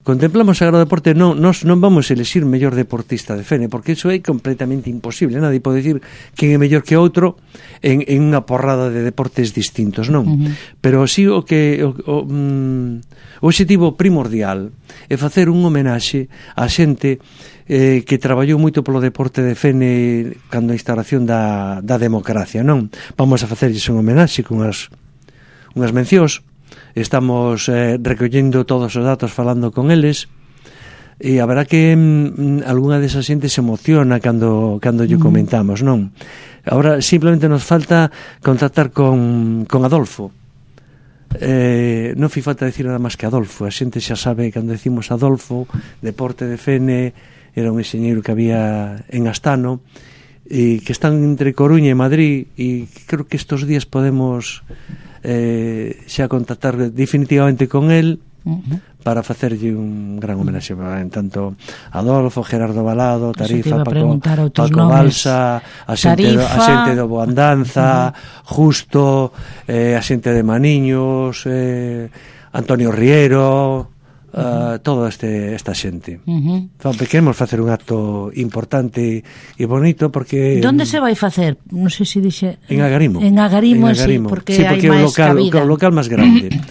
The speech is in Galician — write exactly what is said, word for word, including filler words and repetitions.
contemplamos agora o deporte, non, nós non vamos elixir mellor deportista de Fene, porque iso é completamente imposible. Nadie pode dicir quen é mellor que outro en, en unha porrada de deportes distintos, non? Uh-huh. Pero si o que o, o, mm, o objetivo primordial é facer un homenaxe á xente eh, que traballou moito polo deporte de Fene cando a instalación da, da democracia, non? Vamos a facerlles un homenaxe con as, unhas mencións. Estamos eh, recollendo todos os datos, falando con eles, e a verdad que mm, algunha desa xente se emociona cando, cando lle comentamos, non? Agora simplemente nos falta contactar con, con Adolfo. Eh, non fi falta decir nada máis que Adolfo. A xente xa sabe, cando decimos Adolfo, deporte de Fene, era un enxeñeiro que había en Astano, e que están entre Coruña e Madrid, e creo que estos días podemos eh, xa contactar definitivamente con el uh-huh. para facerlle un gran homenaxe, en tanto Adolfo, Gerardo Balado, Tarifa, Paco, Paco Balsa, a xente, do, a xente do Boandanza, uh-huh. Justo, eh, a xente de Maniños, eh, Antonio Riero, Uh, todo este esta xente. Uh-huh. Queremos facer un acto importante e bonito, porque ¿Dónde se vai facer? Non sei se dixe en Agarimo. En Agarimo, en Agarimo. Sí, porque, sí, porque hai é o máis local, cabida. O local máis grande.